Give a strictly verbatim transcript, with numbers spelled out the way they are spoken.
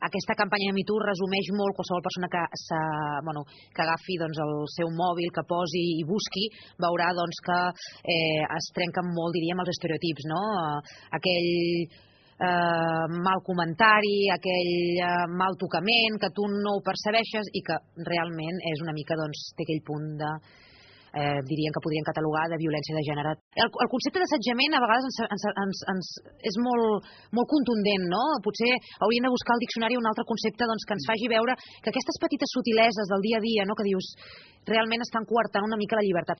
aquesta campanya de Me Too resumeix molt qualsevol persona que, bueno, que agafi doncs, el seu mòbil, que posi i busqui, veurà doncs, que eh, es trenquen molt, diríem, els estereotips, no? Aquell eh, mal comentari, aquell eh, mal tocament, que tu no ho percebeixes i que realment és una mica, doncs, té aquell punt de... Eh, dirien que podrien catalogar de violència de gènere. El, el concepte d'assetjament a vegades ens, ens, ens, ens és molt, molt contundent, no? Potser hauríem de buscar al diccionari un altre concepte doncs, que ens faci veure que aquestes petites subtileses del dia a dia, no? Que dius, realment estan coartant una mica la llibertat.